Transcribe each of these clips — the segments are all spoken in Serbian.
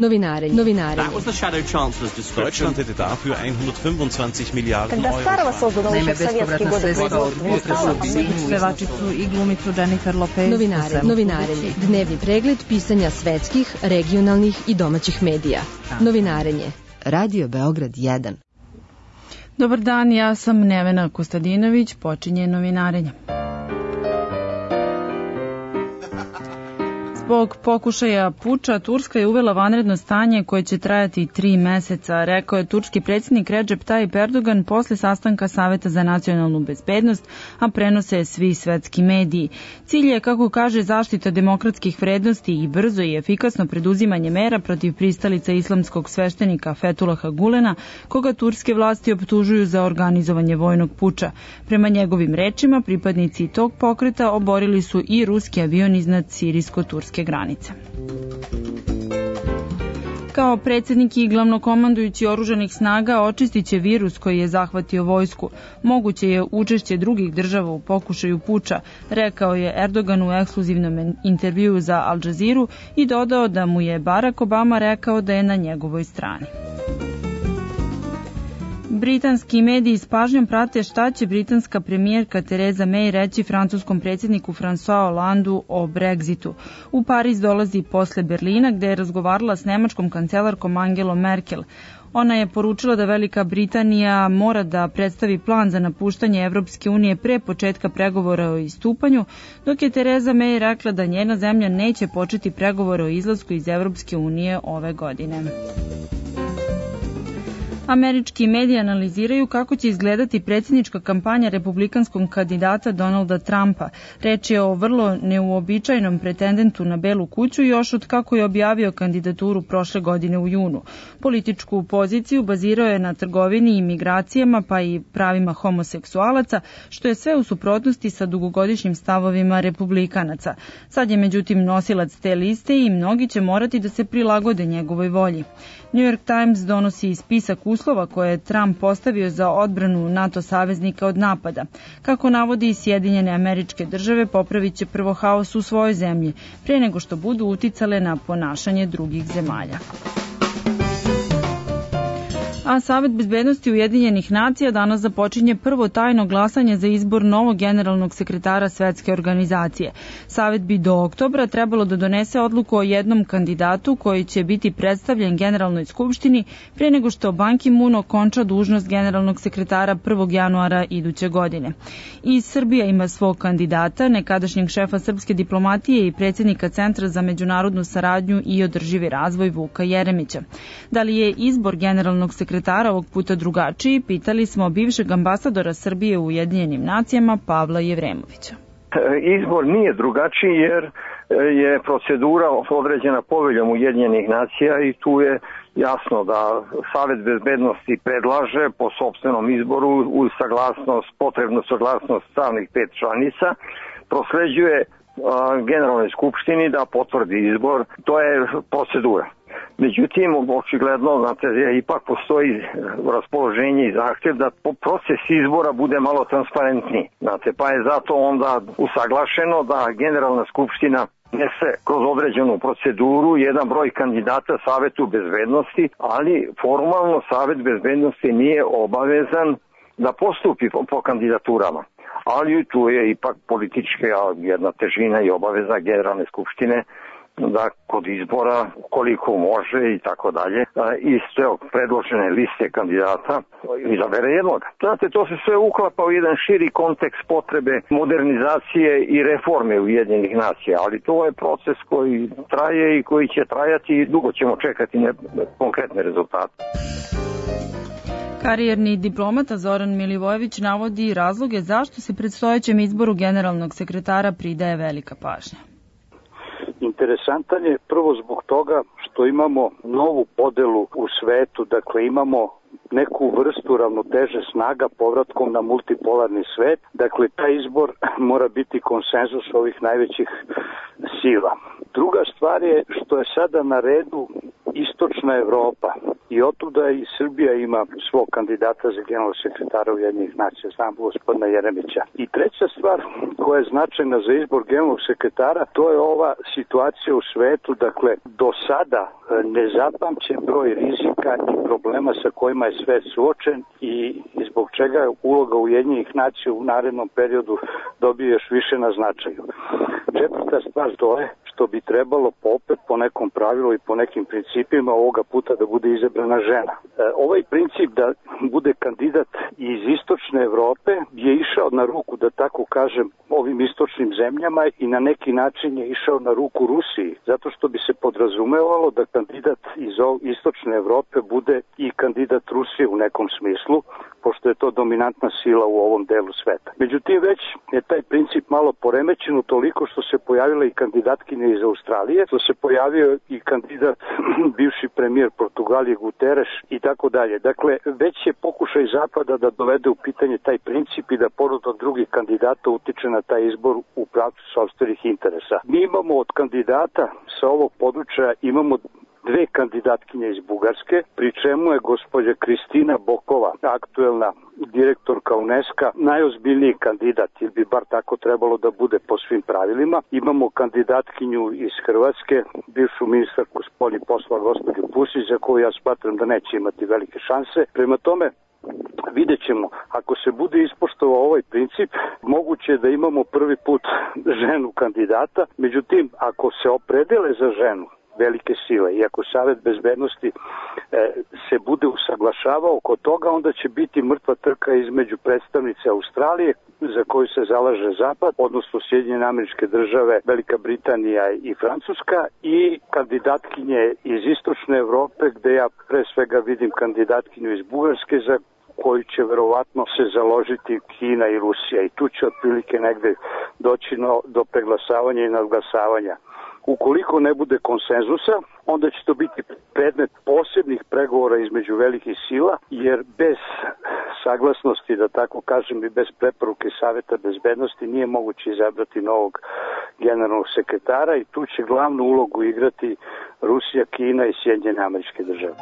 Novinarenje. That was the Shadow Chancellor's discussion. Deutschland hätte dafür 125 Milijarden Когда Старова создана еще в советские годы pevačicu i glumicu Jennifer Lopez. Novinarenje. Dnevni pregled pisanja svetskih, regionalnih i domaćih medija. Novinarenje. Radio Beograd 1. Dobar dan, ja sam Nevena Kostadinović, počinje novinarenje. Zbog pokušaja puča, Turska je uvela vanredno stanje koje će trajati 3 meseca, rekao je turski predsjednik Recep Tayyip Erdogan posle sastanka Saveta za nacionalnu bezbednost, a prenose svi svetski mediji. Cilj je, kako kaže, zaštita demokratskih vrednosti i brzo i efikasno preduzimanje mera protiv pristalica islamskog sveštenika Fethullaha Gulena, koga turske vlasti optužuju za organizovanje vojnog puča. Prema njegovim rečima, pripadnici tog pokreta oborili su i ruski avion iznad sirijsko-turske granice. Kao predsjednik i glavnokomandujući oružanih snaga očistit će virus koji je zahvatio vojsku. Moguće je učešće drugih država u pokušaju puča, rekao je Erdogan u ekskluzivnom intervjuu za Al Jazeeru i dodao da mu je Barack Obama rekao da je na njegovoj strani. Britanski mediji s pažnjom prate šta će britanska premijerka Theresa May reći francuskom predsjedniku François Hollandeu o Brexitu. U Pariz dolazi posle Berlina, gde je razgovarala s nemačkom kancelarkom Angelom Merkel. Ona je poručila da Velika Britanija mora da predstavi plan za napuštanje Evropske unije pre početka pregovora o istupanju, dok je Theresa May rekla da njena zemlja neće početi pregovore o izlasku iz Evropske unije ove godine. Američki mediji analiziraju kako će izgledati predsjednička kampanja republikanskog kandidata Donalda Trumpa. Reč je o vrlo neuobičajenom pretendentu na Belu kuću još od kako je objavio kandidaturu prošle godine u junu. Političku poziciju bazirao je na trgovini i migracijama, pa i pravima homoseksualaca, što je sve u suprotnosti sa dugogodišnjim stavovima republikanaca. Sad je međutim nosilac te liste i mnogi će morati da se prilagode njegovoj volji. New York Times donosi spisak uslova koje je Trump postavio za odbranu NATO saveznika od napada. Kako navodi Sjedinjene Američke Države, popravit će prvo haos u svojoj zemlji, pre nego što budu uticale na ponašanje drugih zemalja. A Savet bezbednosti Ujedinjenih nacija danas započinje prvo tajno glasanje za izbor novog generalnog sekretara Svetske organizacije. Savet bi do oktobra trebalo da donese odluku o jednom kandidatu koji će biti predstavljen Generalnoj skupštini pre nego što Ban Ki-moon okonča dužnost generalnog sekretara 1. januara iduće godine. I Srbija ima svog kandidata, nekadašnjeg šefa srpske diplomatije i predsjednika Centra za međunarodnu saradnju i održivi razvoj Vuka Jeremića. Da li je izbor generalnog sekretara ovog puta drugačiji, pitali smo bivšeg ambasadora Srbije u Ujedinjenim nacijama Pavla Jevremovića. Izbor nije drugačiji jer je procedura određena poveljom Ujedinjenih nacija i tu je jasno da Savet bezbednosti predlaže po sopstvenom izboru uz potrebnu saglasnost stalnih 5 članica, prosleđuje Generalnoj skupštini da potvrdi izbor. To je procedura. Međutim, očigledno, znate, ipak postoji raspoloženje i zahtjev da proces izbora bude malo transparentniji. Znate, pa je zato onda usaglašeno da Generalna skupština nese kroz određenu proceduru jedan broj kandidata Savetu bezbednosti, ali formalno Savet bezbednosti nije obavezan da postupi po kandidaturama. Ali tu je ipak politička jedna težina i obaveza Generalne skupštine da kod izbora koliko može i tako dalje iz predložene liste kandidata izabere jednog. Znate, to se sve uklapa u jedan širi kontekst potrebe modernizacije i reforme Ujedinjenih nacija, ali to je proces koji traje i koji će trajati i dugo ćemo čekati konkretne rezultate. Karijerni diplomata Zoran Milivojević navodi razloge zašto se predstojećem izboru generalnog sekretara pridaje velika pažnja. Interesantan je prvo zbog toga što imamo novu podelu u svetu, dakle imamo neku vrstu ravnoteže snaga povratkom na multipolarni svet. Dakle, taj izbor mora biti konsenzus ovih najvećih sila. Druga stvar je što je sada na redu istočna Evropa i otuda i Srbija ima svog kandidata za generalnog sekretara Ujedinjenih nacija, znam gospodina Jeremića. I treća stvar koja je značajna za izbor generalnog sekretara, to je ova situacija u svetu, dakle do sada nezapamćen broj rizika i problema sa kojima je svet suočen i zbog čega je uloga Ujedinjenih nacija u narednom periodu dobije još više na značaju. Četvrta stvar to je što bi trebalo opet po nekom pravilu i po nekim principima ovoga puta da bude izabrana žena. Ovaj princip da bude kandidat iz istočne Evrope je išao na ruku, da tako kažem, ovim istočnim zemljama i na neki način je išao na ruku Rusiji, zato što bi se podrazumevalo da kandidat iz istočne Evrope bude i kandidat Rusije u nekom smislu, pošto je to dominantna sila u ovom delu sveta. Međutim, već je taj princip malo poremećen toliko što se pojavila i kandidatkinja iz Australije, što se pojavio i kandidat bivši premijer Portugalije Guterres i tako dalje. Dakle, već je pokušaj Zapada da dovede u pitanje taj princip i da pored od drugih kandidata utiče na taj izbor u pravcu sopstvenih interesa. Mi imamo od kandidata sa ovog područja imamo dve kandidatkinje iz Bugarske, pri čemu je gospođa Kristina Bokova, aktuelna direktorka UNESCO, najozbiljniji kandidat, ili bi bar tako trebalo da bude po svim pravilima. Imamo kandidatkinju iz Hrvatske, bivšu ministarku spoljnih poslova gospođu Pusić, za koju ja smatram da neće imati velike šanse. Prema tome, vidjet ćemo, ako se bude ispoštovao ovaj princip, moguće je da imamo prvi put ženu kandidata, međutim, ako se opredele za ženu velike sile i ako Savet bezbednosti se bude usaglašavao oko toga, onda će biti mrtva trka između predstavnice Australije, za koju se zalaže Zapad, odnosno Sjedinjene Američke Države, Velika Britanija i Francuska, i kandidatkinje iz istočne Evrope, gde ja pre svega vidim kandidatkinju iz Bugarske, za koju će verovatno se založiti Kina i Rusija, i tu će otprilike negde doći do preglasavanja i nadglasavanja. Ukoliko ne bude konsenzusa, onda će to biti predmet posebnih pregovora između velikih sila, jer bez saglasnosti, da tako kažem, i bez preporuke Saveta bezbednosti nije moguće izabrati novog generalnog sekretara i tu će glavnu ulogu igrati Rusija, Kina i Sjedinjene Američke Države.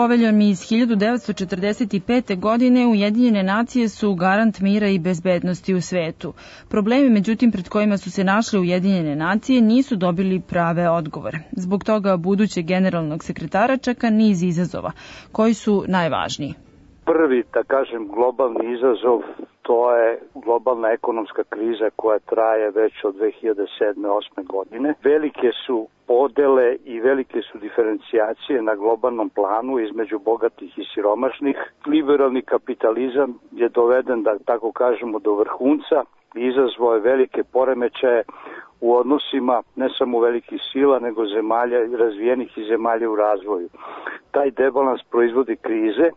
Poveljom iz 1945. godine Ujedinjene nacije su garant mira i bezbednosti u svetu. Problemi, međutim, pred kojima su se našle Ujedinjene nacije nisu dobili prave odgovore. Zbog toga budućeg generalnog sekretara čeka niz izazova. Koji su najvažniji? Prvi, da kažem, globalni izazov, to je globalna ekonomska kriza koja traje već od 2007-2008. godine. Velike su podele i velike su diferencijacije na globalnom planu između bogatih i siromašnih. Liberalni kapitalizam je doveden, da tako kažemo, do vrhunca i izazvao je velike poremećaje u odnosima ne samo velikih sila, nego zemalja razvijenih i zemalja u razvoju. Taj debalans proizvodi krize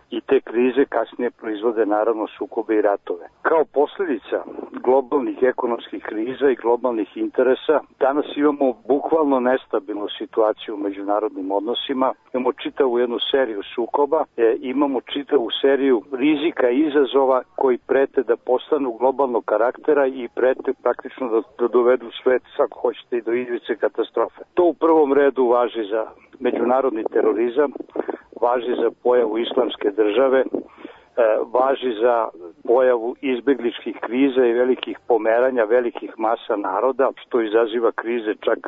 i te krize kasnije proizvode naravno sukobe i ratove. Kao posljedica globalnih ekonomskih kriza i globalnih interesa, danas imamo bukvalno nestabilnu situaciju u međunarodnim odnosima, imamo čitavu jednu seriju sukoba, imamo čitavu seriju rizika i izazova koji prete da postanu globalnog karaktera i prete praktično da dovedu svet, ako hoćete, i do ivice katastrofe. To u prvom redu važi za međunarodni terorizam, važi za pojavu islamske države, važi za pojavu izbegličkih kriza i velikih pomeranja velikih masa naroda, što izaziva krize čak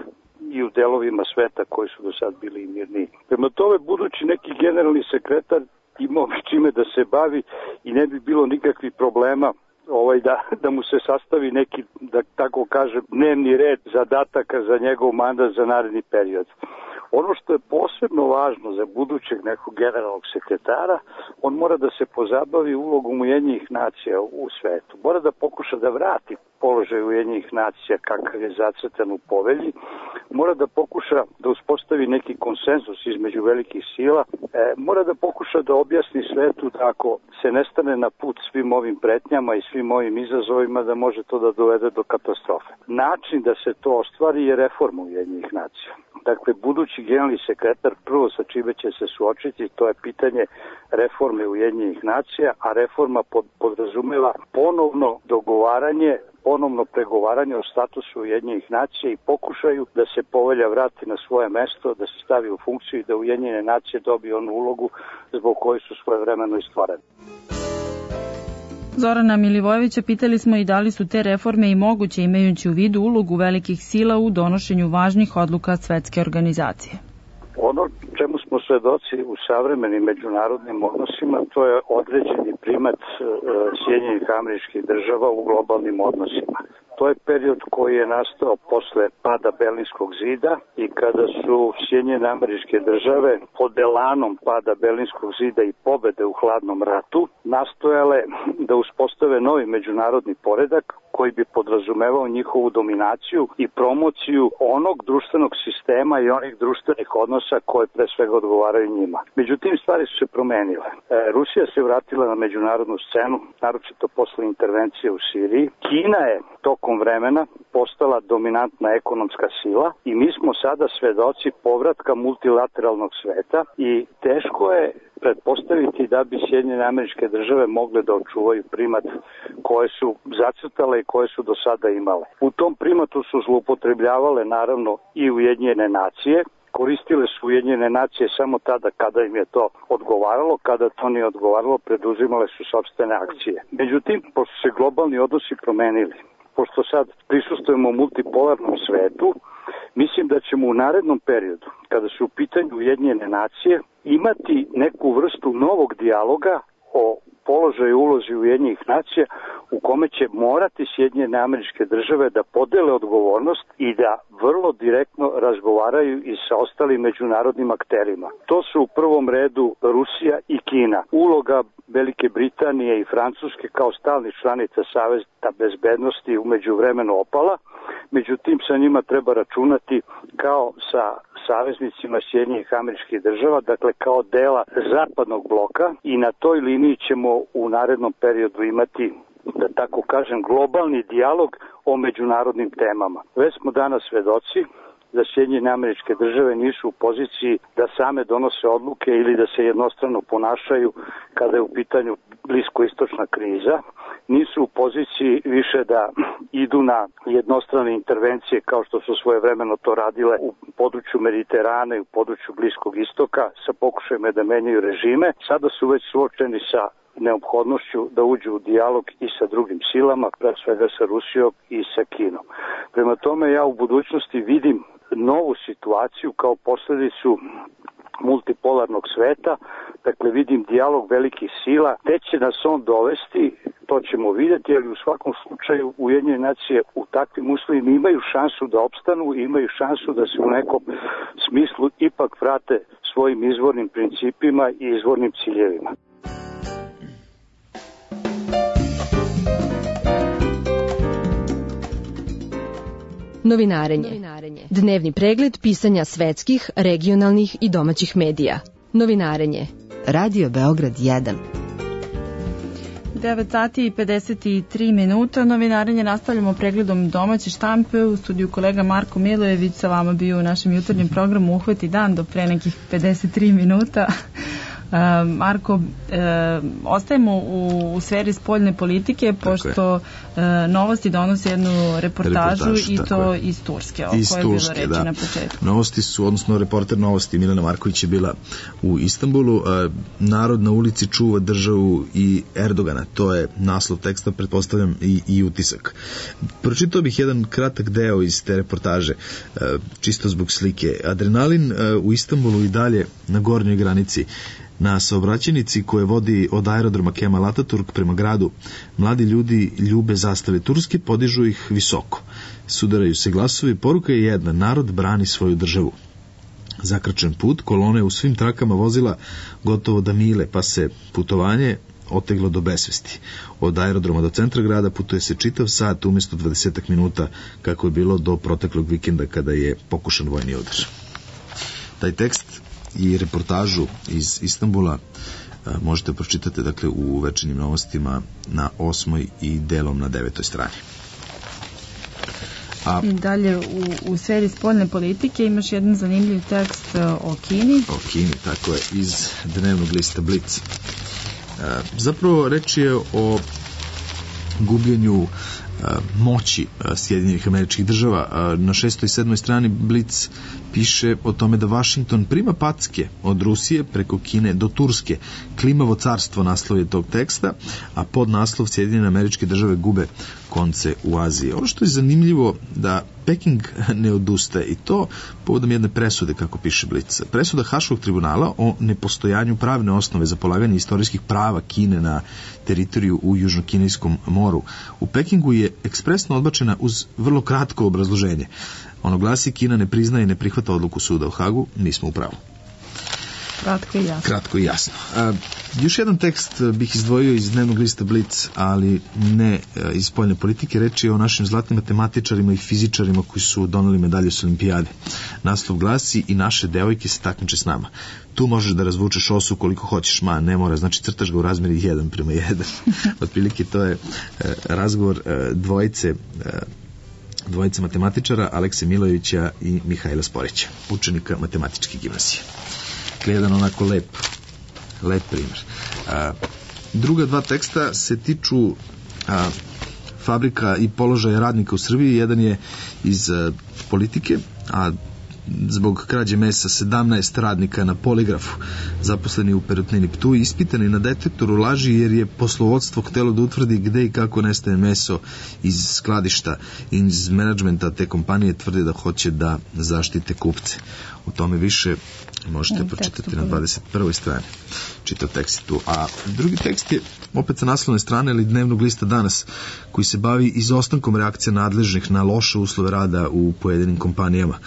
i u delovima sveta koji su do sad bili mirniji. Prema tome, budući neki generalni sekretar imao čime da se bavi i ne bi bilo nikakvih problema da mu se sastavi neki, da tako kažem, dnevni red zadataka za njegov mandat za naredni period. Ono što je posebno važno za budućeg nekog generalnog sekretara, on mora da se pozabavi ulogom Ujedinjenih nacija u svetu. Mora da pokuša da vrati položaj Ujedinjenih nacija kakav je zacrtan u povelji. Mora da pokuša da uspostavi neki konsenzus između velikih sila. Mora da pokuša da objasni svetu da ako se ne stane na put svim ovim pretnjama i svim ovim izazovima, da može to da dovede do katastrofe. Način da se to ostvari je reforma Ujedinjenih nacija. Dakle, budući generalni sekretar prvo sa čime će se suočiti, to je pitanje reforme Ujedinjenih nacija, a reforma podrazumeva ponovno dogovaranje, ponovno pregovaranje o statusu Ujedinjenih nacija i pokušaju da se povelja vrati na svoje mesto, da se stavi u funkciju i da Ujedinjene nacije dobiju onu ulogu zbog koje su svojevremeno i stvorene. Zorana Milivojevića pitali smo i da li su te reforme i moguće imajući u vidu ulogu velikih sila u donošenju važnih odluka svetske organizacije. Ono čemu smo svedoci u savremenim međunarodnim odnosima, to je određeni primat Sjedinjenih Američkih Država u globalnim odnosima. To je period koji je nastao posle pada Berlinskog zida i kada su Sjedinjene Američke Države pod elanom pada Berlinskog zida i pobede u hladnom ratu nastojale da uspostave novi međunarodni poredak koji bi podrazumevao njihovu dominaciju i promociju onog društvenog sistema i onih društvenih odnosa koje pre svega odgovaraju njima. Međutim, stvari su se promenile. Rusija se vratila na međunarodnu scenu, naročito posle intervencije u Siriji. Kina je tokom vremena postala dominantna ekonomska sila i mi smo sada svedoci povratka multilateralnog sveta i teško je pretpostaviti da bi Sjedinjene Američke Države mogle da očuvaju primat koje su zacrtale i koje su do sada imale. U tom primatu su zloupotrebljavale naravno i Ujedinjene nacije, koristile su Ujedinjene nacije samo tada kada im je to odgovaralo, kada to nije odgovaralo, preduzimale su sopstvene akcije. Međutim, pošto se globalni odnosi promenili, pošto sad prisustujemo multipolarnom svetu, mislim da ćemo u narednom periodu, kada su u pitanju Ujedinjene nacije, imati neku vrstu novog dijaloga o položaju i ulozi Ujedinjenih nacija u kome će morati Sjedinjene Američke Države da podele odgovornost i da vrlo direktno razgovaraju i sa ostalim međunarodnim akterima. To su u prvom redu Rusija i Kina. Uloga Velike Britanije i Francuske kao stalnih članica Saveta bezbednosti umeđu vremenu opala, međutim sa njima treba računati kao sa saveznicima Sjedinjenih Američkih Država, dakle kao dela zapadnog bloka i na toj liniji ćemo u narednom periodu imati, da tako kažem, globalni dijalog o međunarodnim temama. Već smo danas svedoci da Sjedinjene Američke Države nisu u poziciji da same donose odluke ili da se jednostrano ponašaju kada je u pitanju bliskoistočna kriza. Nisu u poziciji više da idu na jednostrane intervencije kao što su svojevremeno to radile u području Mediterana i u području Bliskog istoka sa pokušajima da menjaju režime. Sada su već suočeni sa neophodnošću da uđu u dijalog i sa drugim silama, pre svega sa Rusijom i sa Kinom. Prema tome ja u budućnosti vidim novu situaciju kao posledicu multipolarnog sveta, dakle vidim dijalog velikih sila, gde će nas on dovesti, to ćemo vidjeti, ali u svakom slučaju Ujedinjene nacije u takvim uslovima imaju šansu da opstanu i imaju šansu da se u nekom smislu ipak vrate svojim izvornim principima i izvornim ciljevima. Novinarenje. Dnevni pregled pisanja svetskih, regionalnih i domaćih medija. Novinarenje. Radio Beograd 1. 9 sati i 53 minuta. Novinarenje nastavljamo pregledom domaće štampe. U studiju kolega Marko Milojević sa vama bio u našem jutarnjem programu Uhvati dan do pre nekih 53 minuta. Marko, ostajemo u sferi spoljne politike, pošto Novosti donose jednu reportažu i to iz Turske, o kojoj je bilo reći na početku. Novosti su, odnosno reporter Novosti Milena Marković je bila u Istanbulu. Narod na ulici čuva državu i Erdogana, to je naslov teksta, pretpostavljam i utisak. Pročitao bih jedan kratak deo iz te reportaže, čisto zbog slike. Adrenalin u Istanbulu i dalje na gornjoj granici. Na saobraćajnici koje vodi od aerodroma Kemal Ataturk prema gradu, mladi ljudi ljube zastave Turske, podižu ih visoko. Sudaraju se glasovi, poruka je jedna, narod brani svoju državu. Zakrčen put, kolone u svim trakama vozila gotovo da mile, pa se putovanje oteglo do besvesti. Od aerodroma do centra grada putuje se čitav sat umjesto 20 minuta, kako je bilo do proteklog vikenda kada je pokušan vojni udar. Taj tekst i reportažu iz Istanbula možete pročitati dakle u Večernjim novostima na 8. i delom na 9. strani. I dalje u sferi spoljne politike imaš jedan zanimljiv tekst o Kini. O Kini, tako je, iz dnevnog lista Blic. Zapravo reč je o gubljenju moći Sjedinjenih Američkih Država. Na 6. i 7. strani Blic piše o tome da Vašington prima packe od Rusije preko Kine do Turske. Klimavo carstvo naslov je tog teksta, a pod naslov Sjedinjene Američke Države gube konce u Aziji. Ono što je zanimljivo da Peking ne odustaje, i to povodom jedne presude, kako piše Blic. Presuda Haškog tribunala o nepostojanju pravne osnove za polaganje istorijskih prava Kine na teritoriju u Južnokinejskom moru. U Pekingu je ekspresno odbačena uz vrlo kratko obrazloženje. Ono glasi: Kina ne priznaje i ne prihvata odluku suda u Hagu, mi smo u pravu. Kratko i jasno. Još jedan tekst bih izdvojio iz dnevnog lista Blic, ali ne iz spoljne politike. Reč je o našim zlatnim matematičarima i fizičarima koji su doneli medalje s olimpijade. Naslov glasi: I naše devojke se takmiče s nama. Tu možeš da razvučeš osu koliko hoćeš, ne mora, znači crtaš ga u razmeri 1:1. Otprilike to je razgovor dvojice matematičara, Alekse Milojevića i Mihajla Sporića, učenika matematičke gimnazije. Jedan onako lep primjer. Druga dva teksta se tiču fabrika i položaja radnika u Srbiji. Jedan je iz politike, a zbog krađe mesa 17 radnika na poligrafu, zaposleni u Perutnini Ptuj, ispitani na detektoru laži jer je poslovodstvo htelo da utvrdi gde i kako nestaje meso iz skladišta. Iz menadžmenta te kompanije tvrde da hoće da zaštite kupce. O tome više možete pročitati na 21. strani. Čitav tekst tu. A drugi tekst je opet sa naslovne strane ili dnevnog lista Danas, koji se bavi izostankom reakcija nadležnih na loše uslove rada u pojedinim kompanijama.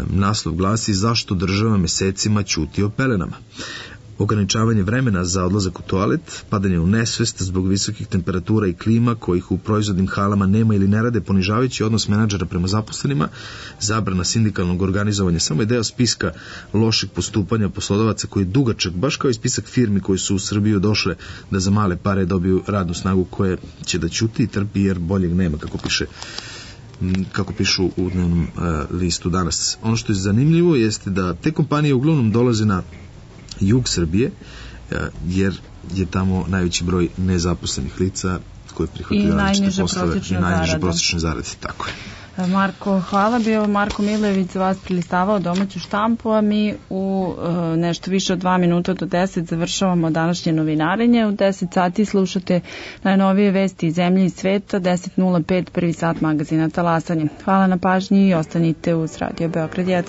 Naslov glasi: Zašto država mesecima ćuti o pelenama? Ograničavanje vremena za odlazak u toalet, padanje u nesvest zbog visokih temperatura i klima kojih u proizvodnim halama nema ili ne rade, ponižavajući odnos menadžera prema zaposlenima, zabrana sindikalnog organizovanja samo je deo spiska lošeg postupanja poslodavaca koji je dugačak, baš kao i spisak firmi koji su u Srbiju došle da za male pare dobiju radnu snagu koje će da ćuti i trpi jer boljeg nema, kako pišu u dnevnom listu Danas. Ono što je zanimljivo jeste da te kompanije uglavnom dolaze na jug Srbije, jer je tamo najveći broj nezaposlenih lica koji prihvataju različite poslove i najniže prosječne zarade. Tako je. Marko, hvala. Bio Marko Milojević za vas prilistavao domaću štampu, a mi u nešto više od 2 minuta do 10 završavamo današnje novinarenje. U 10 sati slušate najnovije vesti iz zemlje i sveta, 10:05 prvi sat magazina Talasanje. Hvala na pažnji i ostanite uz Radio Beograd 1.